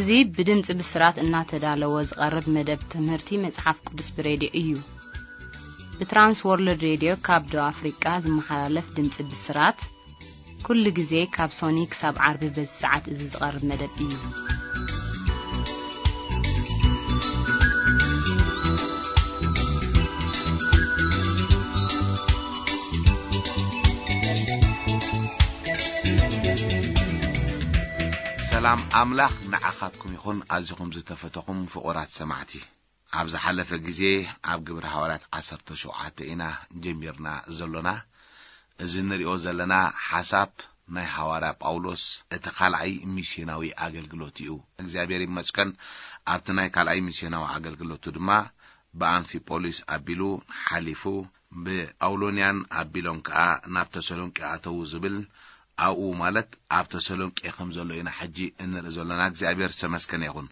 እዚ ብድምጺ ብስራት እናተዳለወ ዝቐርብ መደብ ትምህርቲ መጽሓፍ ቅዱስ ብሬድዮ እዩ። ብትራንስ ወርልድ ሬድዮ ካብ ደቡብ ኣፍሪቃ ዝመሓላለፍ ድምጺ ብስራት፣ ኩሉ ግዜ ካብ ሶኒ ክሳብ ዓርቢ በዚ ሰዓት እዚ ዝቐርብ መደብ እዩ። ሰላም ኣምላኽ ንዓኻትኩም ይኹን። ኣዚኹም ዝተፈተኹም ፍቑራት ሰማዕቲ፣ ኣብ ዝሓለፈ ግዜ ኣብ ግብረ ሃዋርያት ዓሰርተ ሸውዓተ ኢና ጀሚርና ዘሎና። እዚ እንሪኦ ዘለና ሓሳብ ናይ ሃዋርያ ጳውሎስ እቲ ካልኣይ ሚስዮናዊ ኣገልግሎት እዩ። እግዚኣብሔር ይመስገን፣ ኣብቲ ናይ ካልኣይ ሚስዮናዊ ኣገልግሎቱ ድማ ብኣንፊጶሊስ ኣቢሉ ሓሊፉ፣ ብኣውሎንያን ኣቢሎም ከኣ ናብ ተሰሎንቄ ኣተዉ ዝብል፣ ኣብኡ ማለት ኣብ ተሰሎንቄ ከም ዘሎ ኢና ሕጂ እንርኢ ዘሎና። እግዚኣብሔር ዝተመስገነ ይኹን።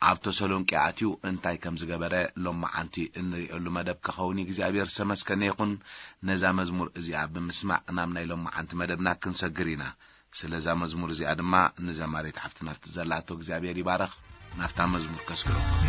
ኣብ ተሰሎንቄ ኣትዩ እንታይ ከም ዝገበረ ሎማዓንቲ እንርእየሉ መደብ ክኸውን እዩ። እግዚኣብሔር ዝተመስገነ ይኹን። ነዛ መዝሙር እዚኣ ብምስማዕ ናብ ናይ ሎማዓንቲ መደብና ክንሰግር ኢና። ስለዛ መዝሙር እዚኣ ድማ ንዘማሪት ሓፍትና ዘላቶ እግዚኣብሔር ይባረኽ። ናብታ መዝሙር ከስግረኩም።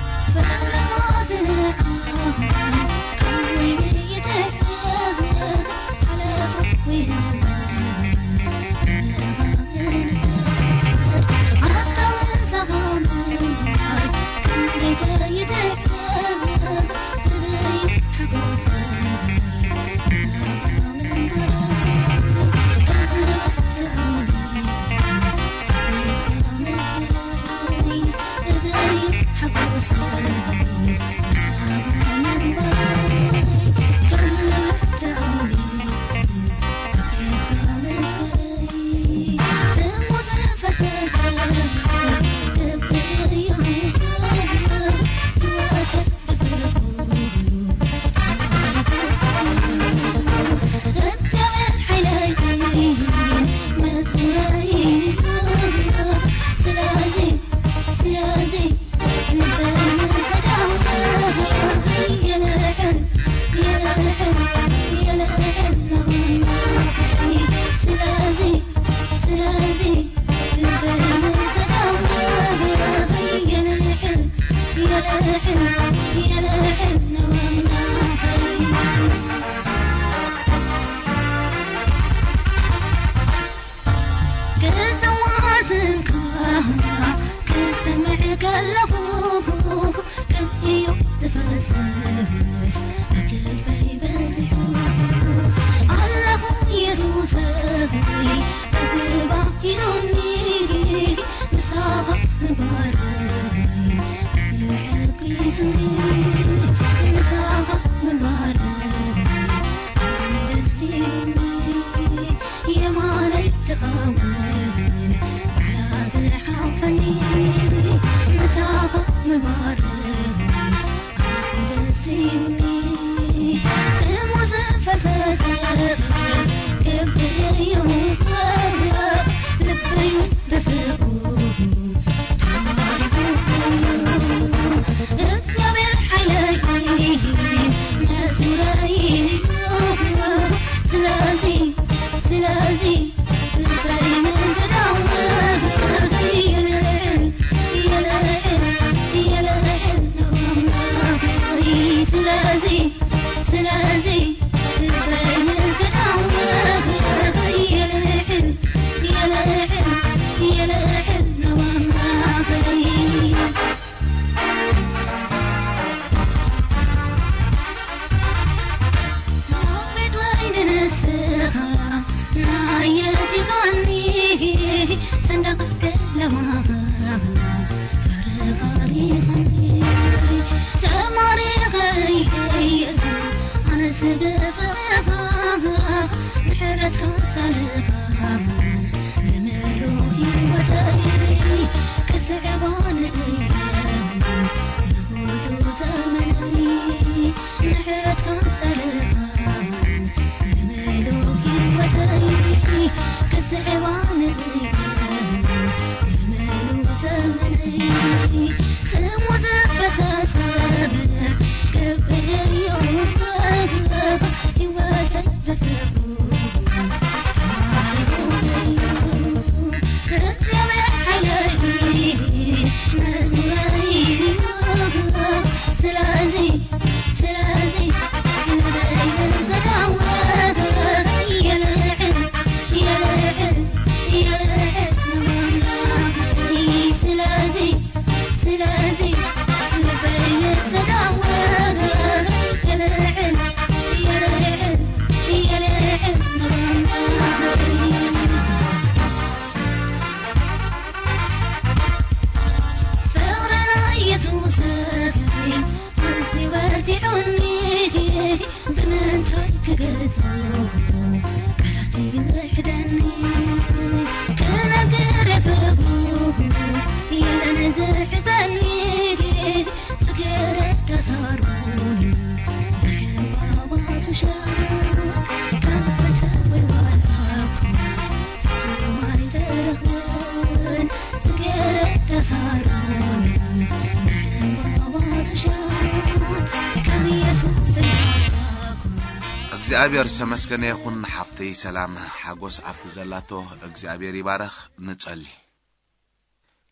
እግዚኣብሔር ዝተመስገነ ይኹን። ሓፍተይ ሰላም ሓጎስ ኣብቲ ዘላቶ እግዚኣብሔር ይባረኽ። ንጸሊ።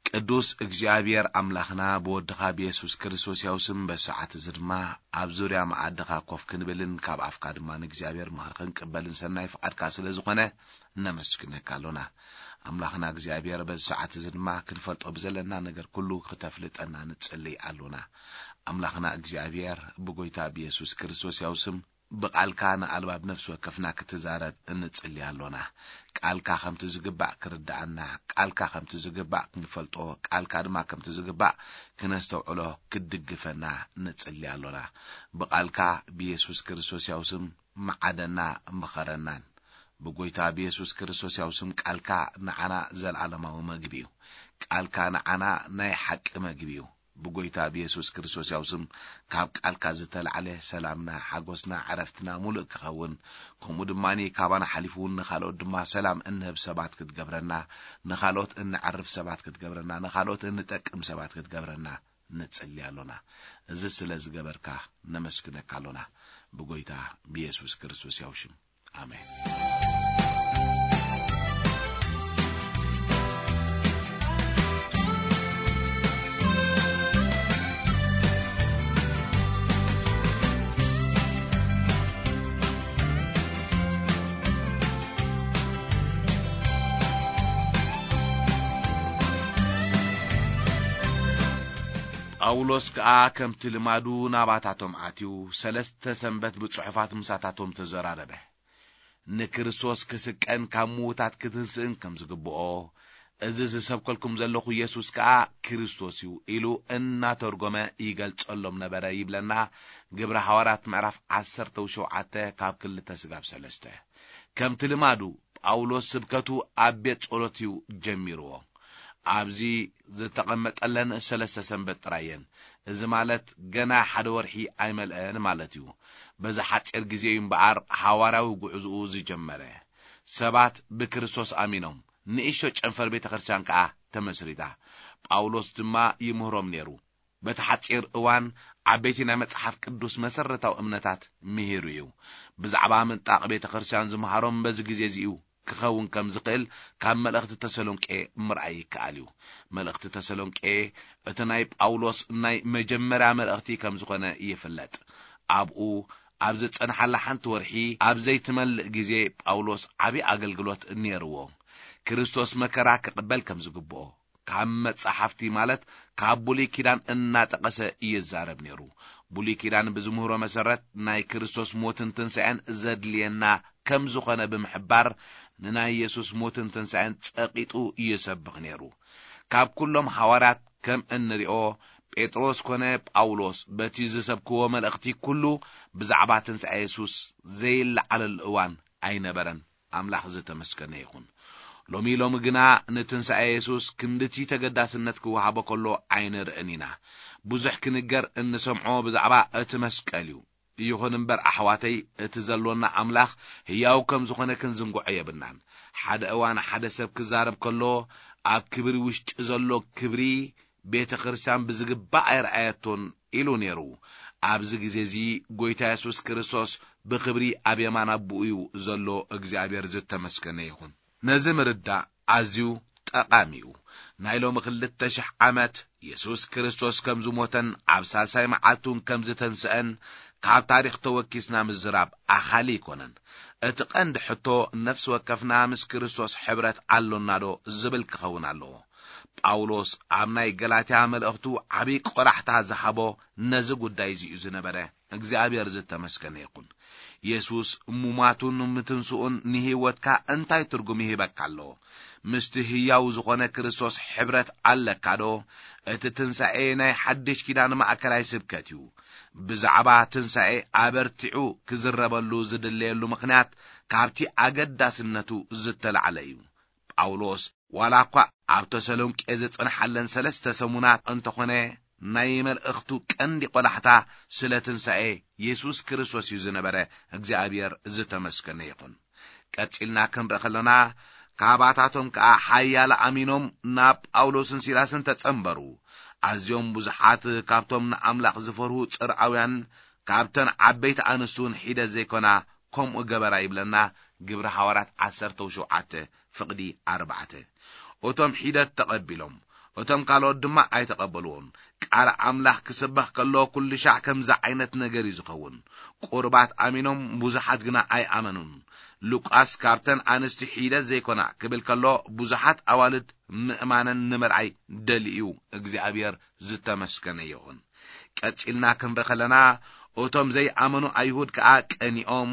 ቅዱስ እግዚኣብሔር ኣምላኽና፣ ብወድኻ ብየሱስ ክርስቶስ ያው ስም በዚ ሰዓት እዚ ድማ ኣብ ዙርያ መኣድኻ ኮፍ ክንብልን ካብ ኣፍካ ድማ ንእግዚኣብሔር ምኽሪ ክንቅበልን ሰናይ ፍቓድካ ስለ ዝኾነ ነመስግነካ ኣሎና። ኣምላኽና እግዚኣብሔር በዚ ሰዓት እዚ ድማ ክንፈልጦ ብዘለና ነገር ኩሉ ክተፍልጠና ንጽልይ ኣሎና። ኣምላኽና እግዚኣብሔር ብጎይታ ብየሱስ ክርስቶስ ያው ስም ብቓልካ ንኣልባብ ነፍሲ ወከፍና ክትዛረብ እንጽሊ ኣሎና። ቃልካ ከምቲ ዝግባእ ክርድኣና፣ ቃልካ ከምቲ ዝግባእ ክንፈልጦ፣ ቃልካ ድማ ከምቲ ዝግባእ ክነስተውዕሎ ክትድግፈና ንጽሊ ኣሎና። ብቓልካ ብየሱስ ክርስቶስ ያው ስም መዓደና ምኸረናን። ብጎይታ ብየሱስ ክርስቶስ ያው ስም ቃልካ ንዓና ዘለዓለማዊ መግቢ እዩ። ቃልካ ንዓና ናይ ሓቂ መግቢ እዩ። ብጎይታ ብየሱስ ክርስቶስ ያው ስም ካብ ቃልካ ዝተላዕለ ሰላምና፣ ሓጎስና፣ ዕረፍትና ሙሉእ ክኸውን፣ ከምኡ ድማ ካባና ሓሊፉ እውን ንኻልኦት ድማ ሰላም እንህብ ሰባት ክትገብረና፣ ንኻልኦት እንዓርፍ ሰባት ክትገብረና፣ ንኻልኦት እንጠቅም ሰባት ክትገብረና ንጽሊ ኣሎና። እዚ ስለ ዝገበርካ ነመስግነካ ኣሎና። ብጎይታ ብየሱስ ክርስቶስ ያው ሽም። ኣሜን። ጳውሎስ ከኣ ከምቲ ልማዱ ናባታቶም ኣትዩ፣ ሰለስተ ሰንበት ብጽሑፋት ምሳታቶም ተዘራረበ። ንክርስቶስ ክስቀን ካብ ምዉታት ክትንስእን ከም ዝግብኦ፣ እዚ ዝሰብከልኩም ዘለኹ የሱስ ከኣ ክርስቶስ እዩ ኢሉ እናተርጎመ ይገልጸሎም ነበረ ይብለና ግብረ ሃዋርያት ምዕራፍ ዓሰርተ ሸውዓተ ካብ ክልተ ስጋብ ሰለስተ። ከምቲ ልማዱ ጳውሎስ ስብከቱ ኣብ ቤት ጸሎት እዩ ጀሚርዎ። ኣብዚ ዝተቐመጠለን ሰለስተ ሰንበት ጥራይ እየን። እዚ ማለት ገና ሓደ ወርሒ ኣይመልአን ማለት እዩ። በዚ ሓጺር ግዜ እዩ እምበኣር ሃዋርያዊ ጉዕዞኡ ዝጀመረ። ሰባት ብክርስቶስ ኣሚኖም፣ ንእሽቶ ጨንፈር ቤተ ክርስቲያን ከኣ ተመስሪታ። ጳውሎስ ድማ ይምህሮም ነይሩ። በቲ ሓጺር እዋን ዓበይቲ ናይ መጽሓፍ ቅዱስ መሰረታዊ እምነታት ምሂሩ እዩ። ብዛዕባ ምንጣቕ ቤተ ክርስቲያን ዝመሃሮም በዚ ግዜ እዚ እዩ ክኸውን ከም ዝኽእል ካብ መልእኽቲ ተሰሎንቄ ምርኣይ ይከኣል እዩ። መልእኽቲ ተሰሎንቄ እቲ ናይ ጳውሎስ ናይ መጀመርያ መልእኽቲ ከም ዝኾነ ይፍለጥ። ኣብኡ ኣብ ዝጸንሓላ ሓንቲ ወርሒ ኣብ ዘይትመልእ ግዜ ጳውሎስ ዓቢ ኣገልግሎት ነይርዎ። ክርስቶስ መከራ ክቕበል ከም ዝግብኦ ካብ መጻሕፍቲ ማለት ካብ ብሉይ ኪዳን እናጠቐሰ ይዛረብ ነይሩ። ብሉይ ኪዳን ብዝምህሮ መሰረት ናይ ክርስቶስ ሞትን ትንሳኤን ዘድልየና ከም ዝኾነ ብምሕባር ንናይ የሱስ ሞትን ትንሳኤን ጸቂጡ ይሰብኽ ነይሩ። ካብ ኩሎም ሃዋርያት ከም እንሪኦ ጴጥሮስ ኮነ ጳውሎስ በቲ ዝሰብክዎ መልእኽቲ ኩሉ ብዛዕባ ትንሳኤ የሱስ ዘይለዓለሉ እዋን ኣይነበረን። ኣምላኽ ዝተመስገነ ይኹን። ሎሚ ሎሚ ግና ንትንሳኤ የሱስ ክንድቲ ተገዳስነት ክወሃቦ ከሎ ኣይንርእን ኢና። ብዙሕ ክንገር እንሰምዖ ብዛዕባ እቲ መስቀል እዩ። ይኹን እምበር ኣሕዋተይ፣ እቲ ዘሎና ኣምላኽ ህያው ከም ዝኾነ ክንዝንግዖ የብልናን። ሓደ እዋን ሓደ ሰብ ክዛረብ ከሎ፣ ኣብ ክብሪ ውሽጢ ዘሎ ክብሪ ቤተ ክርስቲያን ብዝግባእ ኣይረኣየቶን ኢሉ ነይሩ። ኣብዚ ግዜ እዚ ጎይታ የሱስ ክርስቶስ ብኽብሪ ኣብ የማን ኣቦኡ እዩ ዘሎ። እግዚኣብሔር ዝተመስገነ ይኹን። ነዚ ምርዳእ ኣዝዩ ጠቓሚ እዩ። ናይ ሎሚ ክልተ ሽሕ ዓመት የሱስ ክርስቶስ ከም ዝሞተን ኣብ ሳልሳይ መዓልቲ እውን ከም ዝተንስአን ካብ ታሪኽ ተወኪስና ምዝራብ ኣኻሊ ኣይኮነን። እቲ ቀንዲ ሕቶ ነፍሲ ወከፍና ምስ ክርስቶስ ሕብረት ኣሎና ዶ ዝብል ክኸውን ኣለዎ። ጳውሎስ ኣብ ናይ ገላትያ መልእኽቱ ዓቢ ቆላሕታ ዝሃቦ ነዚ ጉዳይ እዚ እዩ ዝነበረ። እግዚኣብሔር ዝተመስገነ ይኹን። የሱስ ሙማቱን ምትንስኡን ንህይወትካ እንታይ ትርጉም ይህበካ ኣሎ? ምስቲ ህያው ዝኾነ ክርስቶስ ሕብረት ኣለካ ዶ? እቲ ትንሳኤ ናይ ሓድሽ ኪዳን ማእከላይ ስብከት እዩ። ብዛዕባ ትንሳኤ ኣበርቲዑ ክዝረበሉ ዝድለየሉ ምኽንያት ካብቲ ኣገዳስነቱ ዝተላዕለ እዩ። ጳውሎስ ዋላ እኳ ኣብ ተሰሎንቄ ዝጸንሓለን ሰለስተ ሰሙናት እንተኾነ፣ ናይ መልእኽቱ ቀንዲ ቆላሕታ ስለ ትንሳኤ የሱስ ክርስቶስ እዩ ዝነበረ። እግዚኣብሔር ዝተመስገነ ይኹን። ቀጺልና ክንርኢ ከለና፣ ካባታቶም ከኣ ሓያለ ኣሚኖም ናብ ጳውሎስን ሲላስን ተጸንበሩ። ኣዝዮም ብዙሓት ካብቶም ንኣምላኽ ዝፈርሁ ጽርዓውያን ካብተን ዓበይቲ ኣንስቲ እውን ሒደት ዘይኮና ከምኡ ገበራ ይብለና ግብሪ ሃዋርያት ዓሰርተ ሸውዓተ ፍቕዲ ኣርባዕተ። እቶም ሒደት ተቐቢሎም፣ እቶም ካልኦት ድማ ኣይተቐበልዎን። ቃል ኣምላኽ ክስበኽ ከሎ ኩሉ ሻዕ ከምዚ ዓይነት ነገር እዩ ዝኸውን። ቁርባት ኣሚኖም፣ ብዙሓት ግና ኣይኣመኑን። ሉቃስ ካብተን ኣንስቲ ሒደት ዘይኮና ክብል ከሎ ብዙሓት ኣዋልድ ምእማነን ንምርኣይ ደልዩ እዩ። እግዚኣብሔር ዝተመስገነ ይኹን። ቀጺልና ክንርኢ ከለና፣ እቶም ዘይኣመኑ ኣይሁድ ከኣ ቀኒኦም፣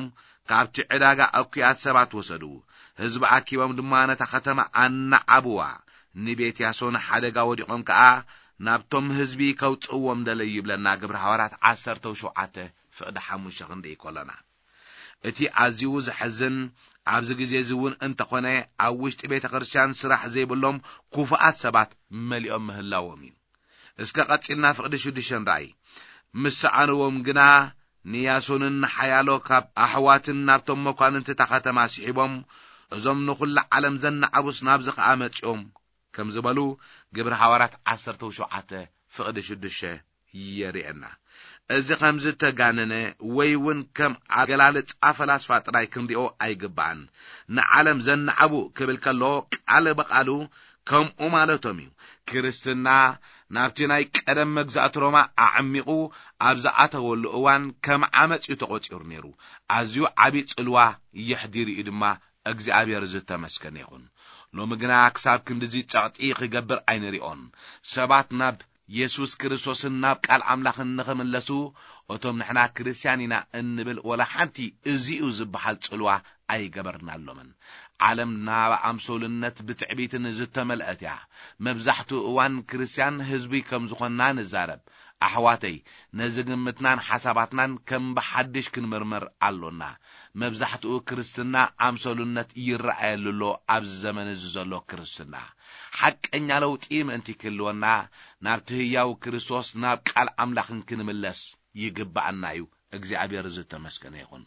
ካብቲ ዕዳጋ እኩያት ሰባት ወሰዱ። ህዝቢ ኣኪቦም ድማ ነታ ከተማ ኣናዓብዋ። ንቤት ያሶን ሓደጋ ወዲቖም ከኣ ናብቶም ህዝቢ ከውጽእዎም ደለዩ ይብለና ግብሪ ሃዋርያት ዓሰርተ ሸውዓተ ፍቕዲ ሓሙሽተ ክንርኢ ከሎና። እቲ ኣዝዩ ዘሕዝን ኣብዚ ግዜ እዚ እውን እንተኾነ ኣብ ውሽጢ ቤተ ክርስቲያን ስራሕ ዘይብሎም ክፉኣት ሰባት መሊኦም ምህላዎም እዩ። እስከ ቀጺልና ፍቕዲ ሽዱሽተ ንርኣይ። ምስ ሰኣንዎም ግና ንያሶንን ንሓያሎ ካብ ኣሕዋትን ናብቶም መኳንንቲ እታ ከተማ ስሒቦም፣ "እዞም ንኹላ ዓለም ዘናዕቡስ ናብዚ ኸኣ መጺኦም" ከም ዝበሉ ግብሪ ሃዋርያት ዓሰርተ ሸውዓተ ፍቕዲ ሽዱሽተ የርእየና። እዚ ከም ዝተጋነነ ወይ እውን ከም ኣገላልጻ ፈላስፋ ጥራይ ክንሪኦ ኣይግባእን። ንዓለም ዘናዕቡ ክብል ከሎ ቃል ብቓሉ ከምኡ ማለቶም እዩ። ክርስትና ናብቲ ናይ ቀደም መግዛእቲ ሮማ ኣዕሚቑ ኣብ ዝኣተወሉ እዋን ከም ዓመጽ እዩ ተቖጺሩ ነይሩ። ኣዝዩ ዓቢ ጽልዋ የሕዲሩ እዩ ድማ። እግዚኣብሔር ዝተመስገነ ይኹን። ሎሚ ግና ክሳብ ክንድዚ ጸቕጢ ክገብር ኣይንሪኦን። ሰባት ናብ የሱስ ክርስቶስን ናብ ቃል ኣምላኽን ንኽምለሱ፣ እቶም ንሕና ክርስትያን ኢና እንብል ወላ ሓንቲ እዚ'ዩ ዝበሃል ጽልዋ ኣይገበርናሎምን። ዓለም ናብ ኣምሶልነት ብትዕቢትን ዝተመልአት እያ። መብዛሕትኡ እዋን ክርስትያን ህዝቢ ከም ዝኾንና ንዛረብ። ኣሕዋተይ፣ ነዚ ግምትናን ሓሳባትናን ከም ብሓድሽ ክንምርምር ኣሎና። መብዛሕትኡ ክርስትና ኣምሰሉነት ይረኣየሉ ኣሎ። ኣብዚ ዘመን እዚ ዘሎ ክርስትና ሓቀኛ ለውጢ ምእንቲ ክህልወና፣ ናብቲ ህያው ክርስቶስ፣ ናብ ቃል ኣምላኽን ክንምለስ ይግብኣና እዩ። እግዚኣብሔር ዝተመስገነ ይኹን።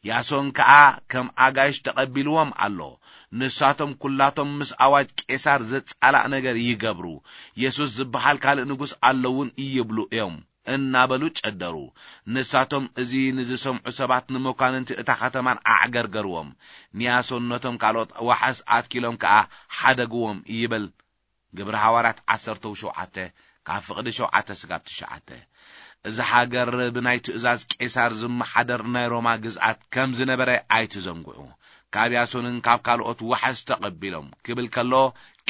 ያሶን ከኣ ከም ኣጋይሽ ተቐቢልዎም ኣሎ። ንሳቶም ኩላቶም ምስ ኣዋጅ ቄሳር ዘጻላእ ነገር ይገብሩ። የሱስ ዝበሃል ካልእ ንጉስ ኣለውን ይብሉ እዮም እናበሉ ጨደሩ። ንሳቶም እዚ ንዝሰምዑ ሰባት ንመኳንንቲ እታ ከተማን ኣዕገርገርዎም። ንያሶን ነቶም ካልኦት ዋሕስ ኣትኪሎም ከኣ ሓደግዎም ይብል። ግብሪ ሃዋርያት ዓሰርተ ሸውዓተ ካብ ፍቕዲ ሸውዓተ ስጋብ ትሽዓተ። እዚ ሃገር ብናይ ትእዛዝ ቄሳር ዝመሓደር ናይ ሮማ ግዝኣት ከም ዝነበረ ኣይትዘንግዑ። ካብ ያሶንን ካብ ካልኦት ዋሕስ ተቐቢሎም ክብል ከሎ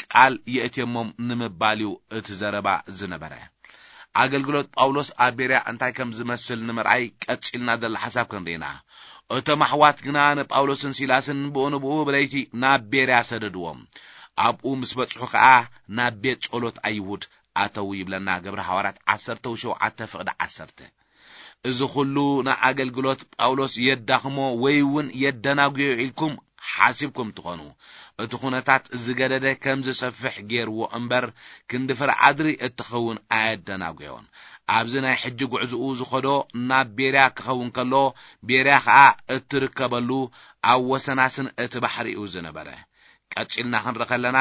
ቃል የእትየሞም ንምባል እዩ እቲ ዘረባ ዝነበረ። ኣገልግሎት ጳውሎስ ኣብ ቤርያ እንታይ ከም ዝመስል ንምርኣይ ቀጺልና ዘሎ ሓሳብ ክንርኢና። እቶም ኣሕዋት ግና ንጳውሎስን ሲላስን ብኡ ንብኡ ብለይቲ ናብ ቤርያ ሰደድዎም። ኣብኡ ምስ በጽሑ ከኣ ናብ ቤት ጸሎት ኣይሁድ ኣተዉ ይብለና ግብሪ ሃዋርያት ዓሰርተ ሸውዓተ ፍቕዲ ዓሰርተ። እዚ ኹሉ ንኣገልግሎት ጳውሎስ የዳኽሞ ወይ እውን የደናጉዮ ኢልኩም ሓሲብኩም ትኾኑ። እቲ ኩነታት ዝገደደ ከም ዝሰፍሕ ገይርዎ እምበር፣ ክንዲ ፍርዓድሪ እትኸውን ኣየደናጉዮን። ኣብዚ ናይ ሕጂ ጉዕዝኡ ዝኸዶ ናብ ቤርያ ክኸውን ከሎ፣ ቤርያ ኸኣ እትርከበሉ ኣብ ወሰናስን እቲ ባሕሪ እዩ ዝነበረ። ቀጺልና ክንርኢ ከለና፣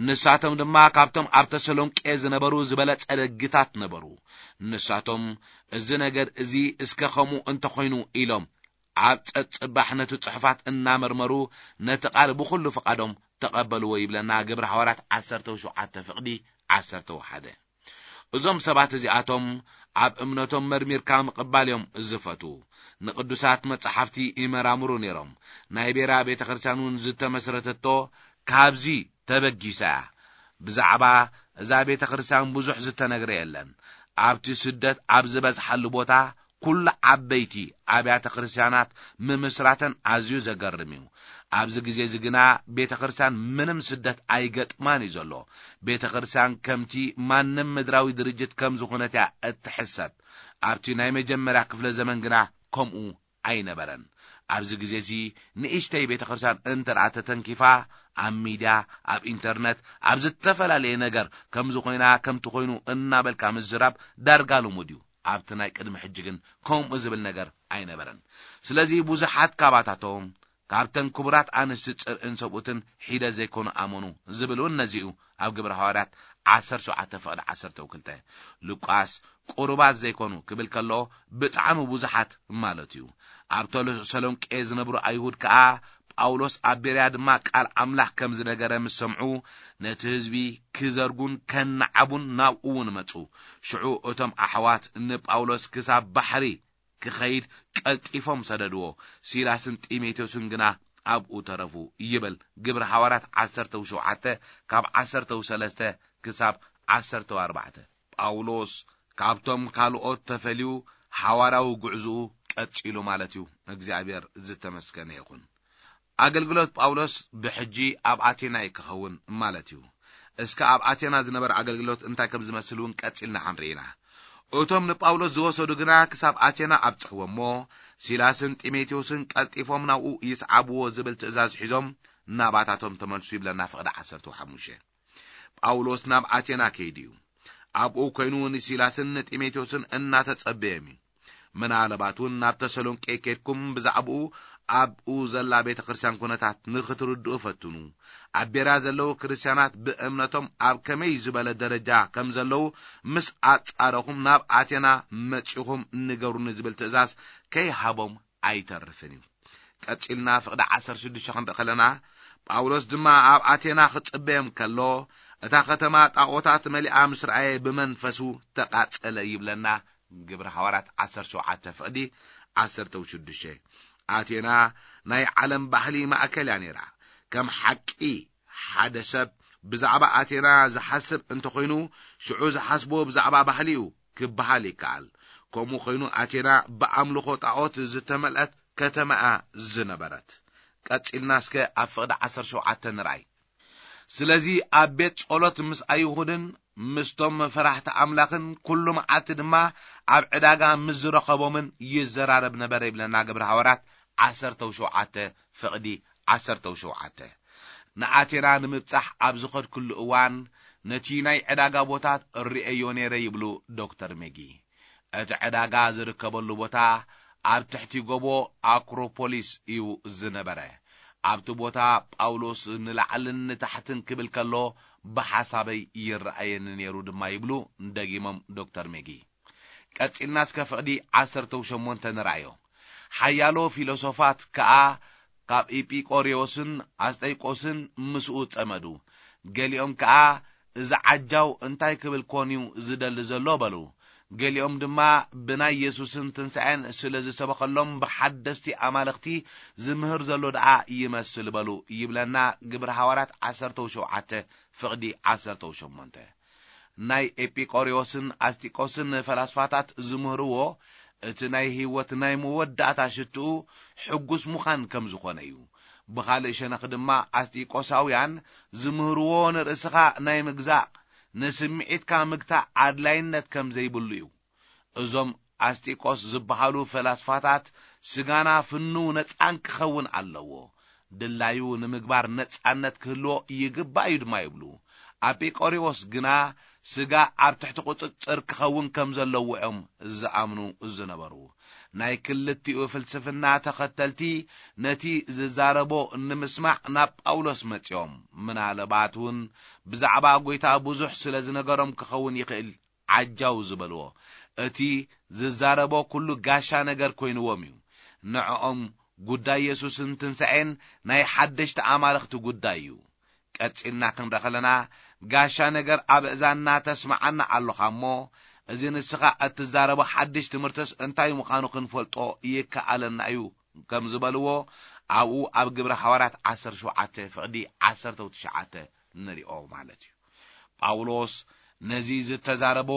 ንሳቶም ድማ ካብቶም ኣብ ተሰሎንቄ ዝነበሩ ዝበለጸ ደግታት ነበሩ። ንሳቶም፣ "እዚ ነገር እዚ እስከ ኸምኡ እንተኾይኑ" ኢሎም፣ ኣብ ጸጽባሕ ነቲ ጽሑፋት እናመርመሩ፣ ነቲ ቃል ብኹሉ ፍቓዶም ተቐበልዎ ይብለና ግብሪ ሃዋርያት ዓሰርተ ሸውዓተ ፍቕዲ ዓሰርተ ሓደ። እዞም ሰባት እዚኣቶም ኣብ እምነቶም መርሚርካ ምቕባል እዮም ዝፈትዉ። ንቅዱሳት መጻሕፍቲ ይመራምሩ ነይሮም። ናይ ቤራ ቤተ ክርስቲያን እውን ዝተመስረተቶ ካብዚ ተበጊሳ እያ። ብዛዕባ እዛ ቤተ ክርስቲያን ብዙሕ ዝተነግረ የለን። ኣብቲ ስደት ኣብ ዝበዝሓሉ ቦታ ኩሉ ዓበይቲ ኣብያተ ክርስቲያናት ምምስራተን ኣዝዩ ዘገርም እዩ። ኣብዚ ግዜ እዚ ግና ቤተ ክርስቲያን ምንም ስደት ኣይገጥማን እዩ ዘሎ። ቤተ ክርስቲያን ከምቲ ማንም ምድራዊ ድርጅት ከም ዝኾነት እያ እትሕሰብ። ኣብቲ ናይ መጀመርያ ክፍለ ዘመን ግና ከምኡ ኣይነበረን። ኣብዚ ግዜ እዚ ንእሽተይ ቤተ ክርስቲያን እንተ ደኣ ተተንኪፋ፣ ኣብ ሚድያ፣ ኣብ ኢንተርነት፣ ኣብ ዝተፈላለየ ነገር ከምዚ ኮይና፣ ከምቲ ኮይኑ እናበልካ ምዝራብ ዳርጋ ልሙድ እዩ። ኣብቲ ናይ ቅድሚ ሕጂ ግን ከምኡ ዝብል ነገር ኣይነበረን። ስለዚ ብዙሓት ካባታቶም ካብተን ክቡራት ኣንስቲ ጽርኢን ሰብኡትን ሒደ ዘይኮኑ ኣመኑ ዝብል እውን ነዚኡ ኣብ ግብረ ሃዋርያት ዓሰርተ ሸውዓተ ፍቕዲ ዓሰርተ ክልተ። ሉቃስ ቁሩባት ዘይኮኑ ክብል ከሎ ብጣዕሚ ብዙሓት ማለት እዩ። ኣብ ተሰሎንቄ ዝነብሩ ኣይሁድ ከኣ ጳውሎስ ኣብ ቤርያ ድማ ቃል ኣምላኽ ከም ዝነገረ ምስ ሰምዑ ነቲ ህዝቢ ክዘርጉን ከነዓቡን ናብኡ እውን መጹ። ሽዑ እቶም ኣሕዋት ንጳውሎስ ክሳብ ባሕሪ ክኸይድ ቀልጢፎም ሰደድዎ። ሲላስን ጢሞቴዎስን ግና ኣብኡ ተረፉ ይብል ግብሪ ሃዋርያት ዓሰርተ ሸውዓተ ካብ ዓሰርተ ሰለስተ ክሳብ ዓሰርተ ኣርባዕተ። ጳውሎስ ካብቶም ካልኦት ተፈልዩ ሓዋርያዊ ጉዕዝኡ ቀጺሉ ማለት እዩ። እግዚኣብሔር ዝተመስገነ ይኹን። ኣገልግሎት ጳውሎስ ብሕጂ ኣብ ኣቴና እዩ ክኸውን ማለት እዩ። እስከ ኣብ ኣቴና ዝነበረ ኣገልግሎት እንታይ ከም ዝመስል እውን ቀጺልና ክንርኢ ኢና። እቶም ንጳውሎስ ዝወሰዱ ግና ክሳብ ኣቴና ኣብጽሕዎ እሞ፣ ሲላስን ጢሞቴዎስን ቀልጢፎም ናብኡ ይስዓብዎ ዝብል ትእዛዝ ሒዞም ናባታቶም ተመልሱ ይብለና ፍቕዲ ዓሰርተ ሓሙሽተ። ጳውሎስ ናብ ኣቴና ከይዱ እዩ። ኣብኡ ኮይኑ ንሲላስን ንጢሞቴዎስን እናተጸበዮም እዩ። ምናልባት እውን ናብ ተሰሎንቄ ከድኩም ብዛዕባኡ ኣብኡ ዘላ ቤተ ክርስቲያን ኩነታት ንኽትርድኡ ፈትኑ። ኣብ ቤርያ ዘለዉ ክርስቲያናት ብእምነቶም ኣብ ከመይ ዝበለ ደረጃ ከም ዘለዉ ምስ ኣጻረኹም ናብ ኣቴና መጺኹም ንገሩኒ ዝብል ትእዛዝ ከይሃቦም ኣይተርፍን እዩ። ቀጺልና ፍቕዲ ዓሰርተ ሽዱሽተ ክንርኢ ከለና፣ ጳውሎስ ድማ ኣብ ኣቴና ክጽበዮም ከሎ፣ እታ ከተማ ጣዖታት መሊኣ ምስ ረኣየ ብመንፈሱ ተቓጸለ ይብለና ግብሪ ሃዋርያት ዓሰርተ ሸውዓተ ፍቕዲ ዓሰርተ ሽዱሽተ። ኣቴና ናይ ዓለም ባህሊ ማእከል እያ ነይራ። ከም ሓቂ ሓደ ሰብ ብዛዕባ ኣቴና ዝሓስብ እንተኾይኑ፣ ሽዑ ዝሓስቦ ብዛዕባ ባህሊ እዩ ክበሃል ይከኣል። ከምኡ ኮይኑ ኣቴና ብኣምልኾ ጣዖት ዝተመልአት ከተማ እያ ዝነበረት። ቀጺልና እስከ ኣብ ፍቕዲ ዓሰርተ ሸውዓተ ንርኣይ። ስለዚ ኣብ ቤት ጸሎት ምስ ኣይሁድን ምስቶም ፈራሕቲ ኣምላኽን ኩሉ መዓልቲ ድማ ኣብ ዕዳጋ ምስ ዝረኸቦምን ይዘራረብ ነበረ ይብለና ግብሪ ሃዋርያት ዓሰርተ ሸውዓተ ፍቕዲ ዓሰርተ ሸውዓተ። ንኣቴና ንምብጻሕ ኣብ ዝኸድኩሉ እዋን ነቲ ናይ ዕዳጋ ቦታ ርእየዮ ነይረ ይብሉ ዶክተር ሜጊ። እቲ ዕዳጋ ዝርከበሉ ቦታ ኣብ ትሕቲ ጎቦ ኣክሮፖሊስ እዩ ዝነበረ። ኣብቲ ቦታ ጳውሎስ ንላዕልን ንታሕትን ክብል ከሎ ብሓሳበይ ይረኣየኒ ነይሩ ድማ ይብሉ ደጊሞም ዶክተር ሜጊ። ቀጺልና እስከ ፍቕዲ ዓሰርተ ሸሞንተ ንርኣዮ። ሓያሎ ፊሎሶፋት ከኣ ካብ ኢጲቆሪዎስን ኣስጠይቆስን ምስኡ ጸመዱ። ገሊኦም ከኣ እዚ ዓጃው እንታይ ክብል ኮን እዩ ዝደሊ ዘሎ በሉ። ገሊኦም ድማ ብናይ የሱስን ትንሳኤን ስለ ዝሰበኸሎም ብሓደስቲ ኣማልኽቲ ዝምህር ዘሎ ደኣ ይመስል በሉ ይብለና ግብሪ ሃዋርያት ዓሰርተ ሸውዓተ ፍቕዲ ዓሰርተ ሸሞንተ። ናይ ኤጲቆሪዎስን ኣስጢቆስን ፈላስፋታት ዝምህርዎ እቲ ናይ ህይወት ናይ መወዳእታ ሽትኡ ሕጉስ ምዃን ከም ዝኾነ እዩ። ብኻልእ ሸነኽ ድማ ኣስጢቆሳውያን ዝምህርዎ ንርእስኻ ናይ ምግዛእ፣ ንስምዒትካ ምግታእ ኣድላይነት ከም ዘይብሉ እዩ። እዞም ኣስጢቆስ ዝበሃሉ ፈላስፋታት ስጋና ፍኑው ነጻን ክኸውን ኣለዎ፣ ድላዩ ንምግባር ነጻነት ክህልዎ ይግባእ እዩ ድማ ይብሉ። ኣጲቆሪዎስ ግና ስጋ ኣብ ትሕቲ ቁጽጽር ክኸውን ከም ዘለዎ እዮም ዝኣምኑ ዝነበሩ። ናይ ክልቲኡ ፍልስፍና ተኸተልቲ ነቲ ዝዛረቦ ንምስማዕ ናብ ጳውሎስ መጺኦም፣ ምናልባት እውን ብዛዕባ ጐይታ ብዙሕ ስለ ዝነገሮም ክኸውን ይኽእል ዓጃው ዝበልዎ። እቲ ዝዛረቦ ኩሉ ጋሻ ነገር ኮይንዎም እዩ። ንዕኦም ጉዳይ የሱስን ትንሳኤን ናይ ሓደሽቲ ኣማልኽቲ ጉዳይ እዩ። ቀጺልና ክንርኢ ከለና፣ ጋሻ ነገር ኣብ እዛንና ተስምዓና ኣሎኻ እሞ፣ እዚ ንስኻ እትዛረቦ ሓድሽ ትምህርትስ እንታይ ምዃኑ ክንፈልጦ ይከኣለና እዩ ከም ዝበልዎ፣ ኣብኡ ኣብ ግብሪ ሃዋርያት ዓሰርተ ሸውዓተ ፍቕዲ ዓሰርተ ትሽዓተ ንሪኦ ማለት እዩ። ጳውሎስ ነዚ ዝተዛረቦ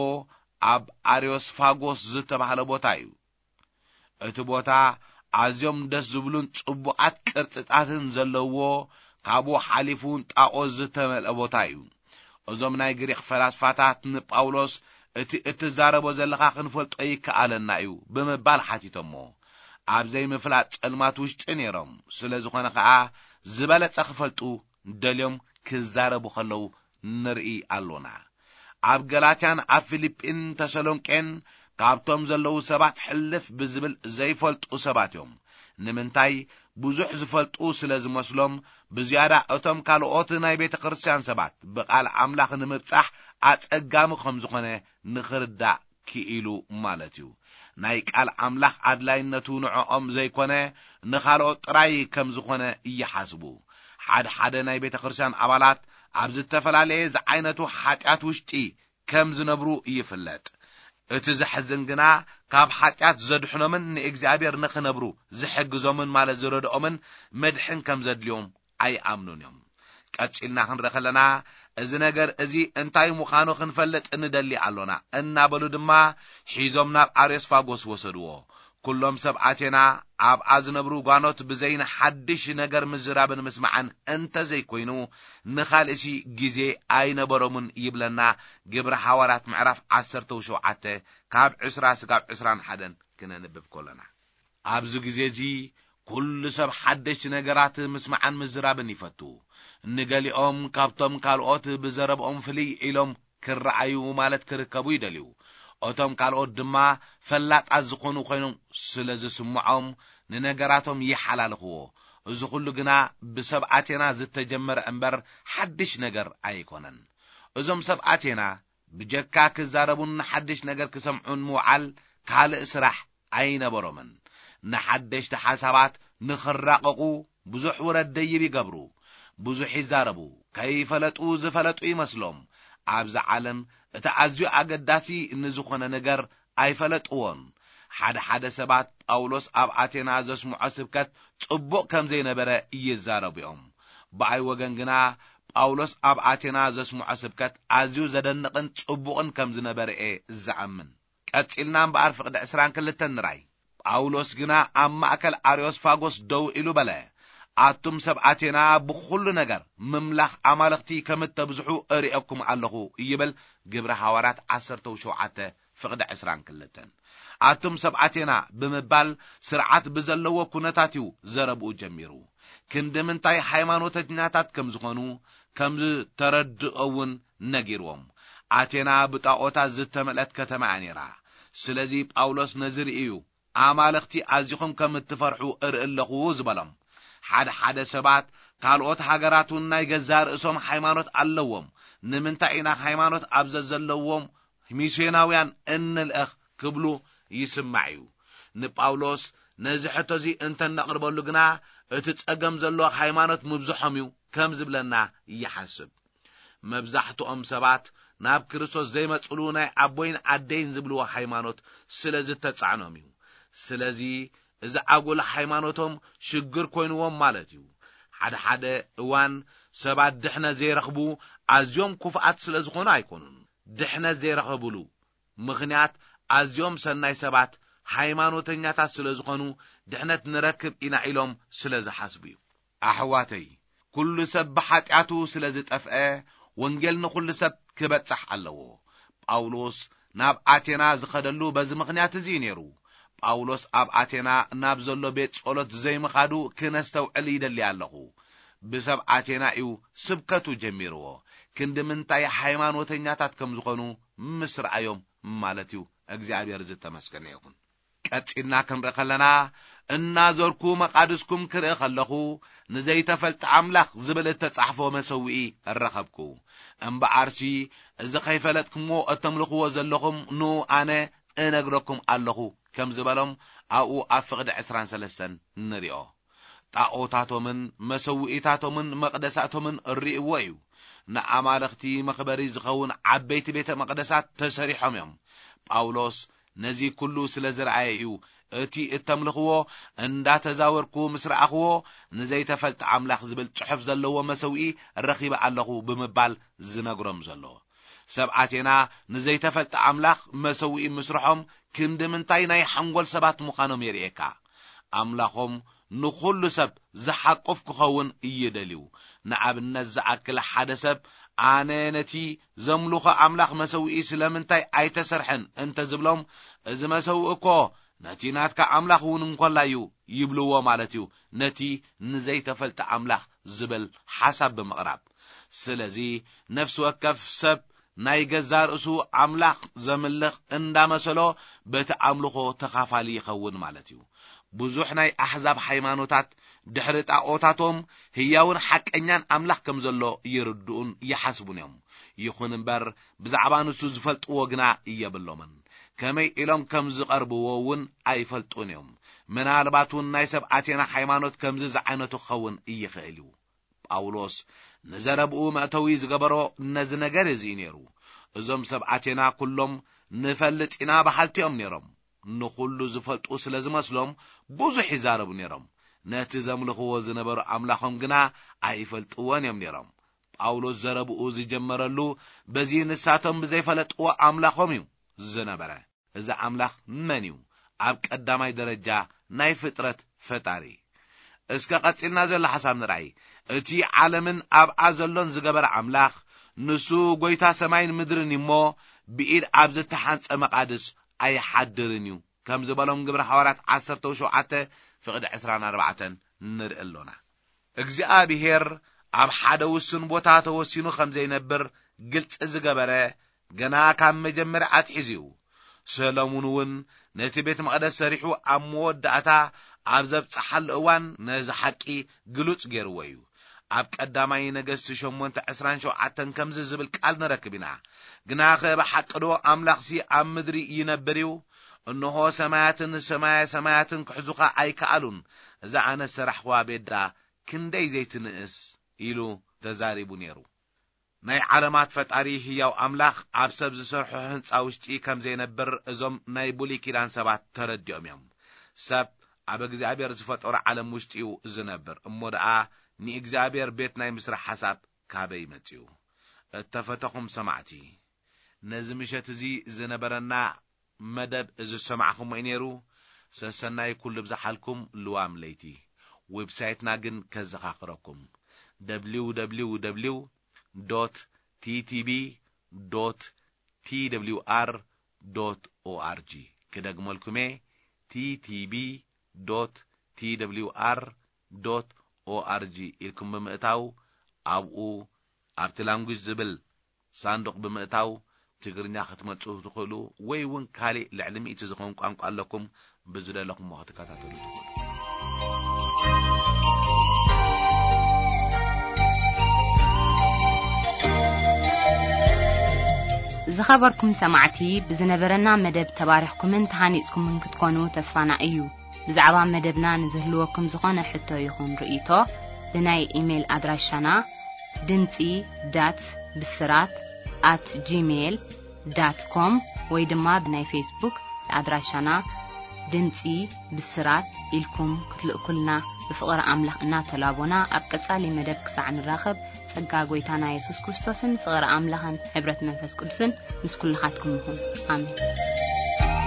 ኣብ ኣርዮስፋጎስ ዝተባህለ ቦታ እዩ። እቲ ቦታ ኣዝዮም ደስ ዝብሉን ጽቡቓት ቅርጽታትን ዘለዎ፣ ካብኡ ሓሊፉ እውን ጣዖት ዝተመልአ ቦታ እዩ። እዞም ናይ ግሪኽ ፈላስፋታት ንጳውሎስ፣ "እቲ እትዛረቦ ዘለኻ ክንፈልጦ ይከኣለና እዩ" ብምባል ሓቲቶሞ። ኣብ ዘይምፍላጥ ጸልማት ውሽጢ ነይሮም። ስለ ዝኾነ ኸኣ ዝበለጸ ክፈልጡ ደልዮም ክዛረቡ ከለዉ ንርኢ ኣሎና። ኣብ ገላትያን ኣብ ፊልጲን ተሰሎንቄን ካብቶም ዘለዉ ሰባት ሕልፍ ብዝብል ዘይፈልጡ ሰባት እዮም። ንምንታይ? ብዙሕ ዝፈልጡ ስለ ዝመስሎም፣ ብዝያዳ እቶም ካልኦት ናይ ቤተ ክርስቲያን ሰባት ብቓል ኣምላኽ ንምብጻሕ ኣጸጋሚ ከም ዝኾነ ንኽርዳእ ክኢሉ ማለት እዩ። ናይ ቃል ኣምላኽ ኣድላይነቱ ንዕኦም ዘይኮነ፣ ንኻልኦት ጥራይ ከም ዝኾነ ይሓስቡ። ሓደ ሓደ ናይ ቤተ ክርስቲያን ኣባላት ኣብ ዝተፈላለየ ዝዓይነቱ ሓጢኣት ውሽጢ ከም ዝነብሩ ይፍለጥ። እቲ ዘሕዝን ግና፣ ካብ ሓጢኣት ዘድሕኖምን ንእግዚኣብሔር ንኽነብሩ ዝሕግዞምን ማለት ዝረድኦምን መድሕን ከም ዘድልዮም ኣይኣምኑን እዮም። ቀጺልና ክንርኢ ከለና፣ "እዚ ነገር እዚ እንታይ ምዃኑ ክንፈልጥ ንደሊ ኣሎና" እናበሉ ድማ ሒዞም ናብ ኣርዮስፋጎስ ወሰድዎ። "ኩሎም ሰብ ኣቴና ኣብኣ ዝነብሩ ጓኖት ብዘይ ንሓድሽ ነገር ምዝራብን ምስማዕን እንተ ዘይኮይኑ ንኻልእሲ ግዜ ኣይነበሮምን" ይብለና ግብሪ ሃዋርያት ምዕራፍ ዓሰርተ ሸውዓተ ካብ ዕስራ ስጋብ ዕስራን ሓደን ክነንብብ ከሎና። ኣብዚ ግዜ እዚ ኩሉ ሰብ ሓደሽቲ ነገራት ምስማዕን ምዝራብን ይፈቱ። ንገሊኦም ካብቶም ካልኦት ብዘረብኦም ፍልይ ኢሎም ክረኣዩ ማለት ክርከቡ ይደልዩ። እቶም ካልኦት ድማ ፈላጣት ዝኾኑ ኮይኖም ስለ ዝስምዖም ንነገራቶም ይሓላልኽዎ። እዚ ኩሉ ግና ብሰብ ኣቴና ዝተጀመረ እምበር ሓድሽ ነገር ኣይኮነን። እዞም ሰብ ኣቴና ብጀካ ክዛረቡን ንሓድሽ ነገር ክሰምዑን ምውዓል ካልእ ስራሕ ኣይነበሮምን። ንሓደሽቲ ሓሳባት ንኽራቐቑ ብዙሕ ውረድ ደይብ ይገብሩ። ብዙሕ ይዛረቡ፣ ከይፈለጡ ዝፈለጡ ይመስሎም። ኣብዛ ዓለም እቲ ኣዝዩ ኣገዳሲ ንዝኾነ ነገር ኣይፈለጥዎን። ሓደ ሓደ ሰባት ጳውሎስ ኣብ ኣቴና ዘስምዖ ስብከት ጽቡቕ ከም ዘይነበረ ይዛረቡ እዮም። ብኣይ ወገን ግና ጳውሎስ ኣብ ኣቴና ዘስምዖ ስብከት ኣዝዩ ዘደንቕን ጽቡቕን ከም ዝነበረ እየ ዝኣምን። ቀጺልና እምበኣር ፍቕዲ ዕስራን ክልተን ንራይ። ጳውሎስ ግና ኣብ ማእከል ኣርዮስፋጎስ ደው ኢሉ በለ፣ "ኣቱም ሰብ ኣቴና ብኹሉ ነገር ምምላኽ ኣማልኽቲ ከም እተብዝሑ እርእየኩም ኣለኹ" ይብል ግብሪ ሃዋርያት ዓሰርተ ሸውዓተ ፍቕዲ ዕስራን ክልተን። "ኣቱም ሰብ ኣቴና" ብምባል ስርዓት ብዘለዎ ኩነታት እዩ ዘረብኡ ጀሚሩ። ክንዲ ምንታይ ሃይማኖተኛታት ከም ዝኾኑ ከም ዝተረድኦ እውን ነጊርዎም። ኣቴና ብጣኦታት ዝተመልአት ከተማ እያ ነይራ። ስለዚ ጳውሎስ ነዚ ርእዩ፣ "ኣማልኽቲ ኣዚኹም ከም እትፈርሑ እርኢ ኣለኹ" ዝበሎም። ሓደ ሓደ ሰባት፣ "ካልኦት ሃገራት እውን ናይ ገዛእ ርእሶም ሃይማኖት ኣለዎም፣ ንምንታይ ኢና ሃይማኖት ኣብ ዘዘለዎም ሚስዮናውያን እንልእኽ?" ክብሉ ይስማዕ እዩ። ንጳውሎስ ነዚ ሕቶ እዚ እንተነቕርበሉ ግና፣ እቲ ጸገም ዘሎ ሃይማኖት ምብዝሖም እዩ ከም ዝብለና ይሓስብ። መብዛሕትኦም ሰባት ናብ ክርስቶስ ዘይመጽሉ ናይ ኣቦይን ኣደይን ዝብልዎ ሃይማኖት ስለ ዝተጻዕኖም እዩ። ስለዚ እዚ ኣጉል ሃይማኖቶም ሽግር ኮይንዎም ማለት እዩ። ሓደ ሓደ እዋን ሰባት ድሕነት ዘይረኽቡ ኣዝዮም ክፉኣት ስለ ዝኾኑ ኣይኮኑን። ድሕነት ዘይረኸብሉ ምኽንያት ኣዝዮም ሰናይ ሰባት ሃይማኖተኛታት ስለ ዝኾኑ ድሕነት ንረክብ ኢና ኢሎም ስለ ዝሓስቡ እዩ። ኣሕዋተይ፣ ኩሉ ሰብ ብሓጢኣቱ ስለ ዝጠፍአ፣ ወንጌል ንኹሉ ሰብ ክበጽሕ ኣለዎ። ጳውሎስ ናብ ኣቴና ዝኸደሉ በዚ ምኽንያት እዚ እዩ ነይሩ። ጳውሎስ ኣብ ኣቴና ናብ ዘሎ ቤት ጸሎት ዘይምኻዱ ክነስተውዕል ይደሊ ኣለኹ። ብሰብ ኣቴና እዩ ስብከቱ ጀሚርዎ። ክንዲ ምንታይ ሃይማኖተኛታት ከም ዝኾኑ ምስ ረኣዮም ማለት እዩ። እግዚኣብሔር ዝተመስገነ ይኹን። ቀጺልና ክንርኢ ከለና፣ "እናዞርኩ መቓድስኩም ክርኢ ከለኹ፣ ንዘይተፈልጠ ኣምላኽ ዝብል እተጻሕፎ መሰውኢ ረኸብኩ። እምበኣርሲ፣ እዚ ኸይፈለጥኩምዎ እተምልኽዎ ዘለኹም ንኡ ኣነ እነግረኩም ኣለኹ" ከም ዝበሎም ኣብኡ ኣብ ፍቕዲ ዕስራን ሰለስተን ንሪኦ። ጣኦታቶምን መሰውኢታቶምን መቕደሳቶምን ርእይዎ እዩ። ንኣማልኽቲ መኽበሪ ዝኸውን ዓበይቲ ቤተ መቕደሳት ተሰሪሖም እዮም። ጳውሎስ ነዚ ኩሉ ስለ ዝረኣየ እዩ፣ "እቲ እተምልኽዎ እንዳተዛወርኩ ምስ ረኣኽዎ፣ ንዘይተፈልጠ ኣምላኽ ዝብል ጽሑፍ ዘለዎ መሰውኢ ረኺበ ኣለኹ" ብምባል ዝነግሮም ዘሎ። ሰብ ኣቴና ንዘይተፈልጠ ኣምላኽ መሰውኢ ምስርሖም ክንዲ ምንታይ ናይ ሓንጎል ሰባት ምዃኖም የርእየካ። ኣምላኾም ንኹሉ ሰብ ዝሓቁፍ ክኸውን ይደልዩ። ንኣብነት ዝኣክል፣ ሓደ ሰብ፣ "ኣነ ነቲ ዘምልኾ ኣምላኽ መሰውኢ ስለምንታይ ኣይተሰርሐን?" እንተ ዝብሎም፣ "እዚ መሰውኢ እኮ ነቲ ናትካ ኣምላኽ እውን እንኮላ እዩ" ይብልዎ ማለት እዩ፣ ነቲ ንዘይተፈልጠ ኣምላኽ ዝብል ሓሳብ ብምቕራብ። ስለዚ፣ ነፍሲ ወከፍ ሰብ ናይ ገዛ ርእሱ ኣምላኽ ዘምልኽ እንዳመሰሎ፣ በቲ ኣምልኾ ተኻፋሊ ይኸውን ማለት እዩ። ብዙሕ ናይ ኣሕዛብ ሃይማኖታት ድሕሪ ጣኦታቶም ህያውን ሓቀኛን ኣምላኽ ከም ዘሎ ይርድኡን ይሓስቡን እዮም። ይኹን እምበር፣ ብዛዕባ ንሱ ዝፈልጥዎ ግና የብሎምን። ከመይ ኢሎም ከም ዝቐርብዎ እውን ኣይፈልጡን እዮም። ምናልባት እውን ናይ ሰብ ኣቴና ሃይማኖት ከምዚ ዝዓይነቱ ክኸውን ይኽእል እዩ። ጳውሎስ ንዘረብኡ መእተዊ ዝገበሮ ነዚ ነገር እዚ እዩ ነይሩ። እዞም ሰብ ኣቴና ኩሎም ንፈልጥ ኢና በሃልቲ እዮም ነይሮም። ንኹሉ ዝፈልጡ ስለ ዝመስሎም ብዙሕ ይዛረቡ ነይሮም። ነቲ ዘምልኽዎ ዝነበሩ ኣምላኾም ግና ኣይፈልጥዎን እዮም ነይሮም። ጳውሎስ ዘረብኡ ዝጀመረሉ በዚ ንሳቶም ብዘይፈለጥዎ ኣምላኾም እዩ ዝነበረ። እዚ ኣምላኽ መን እዩ? ኣብ ቀዳማይ ደረጃ ናይ ፍጥረት ፈጣሪ። እስከ ቀጺልና ዘሎ ሓሳብ ንርኣይ። እቲ ዓለምን ኣብኣ ዘሎን ዝገበረ ኣምላኽ፣ ንሱ ጐይታ ሰማይን ምድርን እዩ እሞ፣ ብኢድ ኣብ ዝተሓንጸ መቓድስ ኣይሓድርን እዩ፣ ከም ዝበሎም ግብረ ሃዋርያት ዓሰርተ ሸውዓተ ፍቕዲ ዕስራን ኣርባዕተን ንርኢ ኣሎና። እግዚኣብሄር ኣብ ሓደ ውሱን ቦታ ተወሲኑ ከም ዘይነብር ግልጺ ዝገበረ፣ ገና ካብ መጀመርያ ኣትሒዙ እዩ። ሰሎሙን እውን ነቲ ቤት መቕደስ ሰሪሑ ኣብ መወዳእታ ኣብ ዘብጽሓሉ እዋን ነዚ ሓቂ ግሉጽ ገይርዎ እዩ። ኣብ ቀዳማይ ነገስቲ ሸሞንተ ዕስራን ሸውዓተን ከምዚ ዝብል ቃል ንረክብ ኢና። ግናኸ ብሓቂ ዶ ኣምላኽሲ ኣብ ምድሪ ይነብር እዩ? እንሆ ሰማያትን ሰማየ ሰማያትን ክሕዙኻ ኣይከኣሉን። እዛ ኣነ ዝሰራሕኽዋ ቤት ደኣ ክንደይ ዘይትንእስ? ኢሉ ተዛሪቡ ነይሩ። ናይ ዓለማት ፈጣሪ ህያው ኣምላኽ ኣብ ሰብ ዝሰርሖ ህንጻ ውሽጢ ከም ዘይነብር እዞም ናይ ብሉይ ኪዳን ሰባት ተረዲኦም እዮም። ሰብ ኣብ እግዚኣብሔር ዝፈጠሮ ዓለም ውሽጢ እዩ ዝነብር። እሞ ደኣ ንእግዚኣብሔር ቤት ናይ ምስራሕ ሓሳብ ካበይ መጺኡ? እተፈተኹም ሰማዕቲ፣ ነዚ ምሸት እዚ ዝነበረና መደብ እዚ ዝሰማዕኹሞ እዩ ነይሩ። ሰሰናይ ኩሉ ብዝሓልኩም ልዋም ለይቲ። ዌብሳይትና ግን ከዘኻኽረኩም፣ www ዶት ቲቲቢ ዶት ቲደብሊውኣር ዶት ኦኣርጂ። ክደግመልኩሜ፣ ቲቲቢ ዶት ቲደብሊውኣር ዶት ኦኣርጂ ኢልኩም ብምእታው ኣብኡ ኣብቲ ላንጉጅ ዝብል ሳንዱቕ ብምእታው ትግርኛ ክትመርጹ ትኽእሉ፣ ወይ እውን ካሊእ ልዕሊ ሚእቲ ዝኾን ቋንቋ ኣለኩም፣ ብዝደለኹምዎ ክትከታተሉ ትኽእሉ። ዝኸበርኩም ሰማዕቲ፣ ብዝነበረና መደብ ተባሪኽኩምን ተሃኒጽኩምን ክትኮኑ ተስፋና እዩ። ብዛዕባ መደብና ንዝህልወኩም ዝኾነ ሕቶ ይኹን ርእይቶ፣ ብናይ ኢሜይል ኣድራሻና ድምጺ ዳት ብስራት ኣት ጂሜይል ዳት ኮም ወይ ድማ ብናይ ፌስቡክ ኣድራሻና ድምጺ ብስራት ኢልኩም ክትልእኩልና ብፍቕሪ ኣምላኽ እናተላቦና፣ ኣብ ቀጻሊ መደብ ክሳዕ ንራኸብ፣ ጸጋ ጐይታና የሱስ ክርስቶስን ፍቕሪ ኣምላኽን ሕብረት መንፈስ ቅዱስን ምስ ኩልኻትኩም ይኹን። ኣሜን።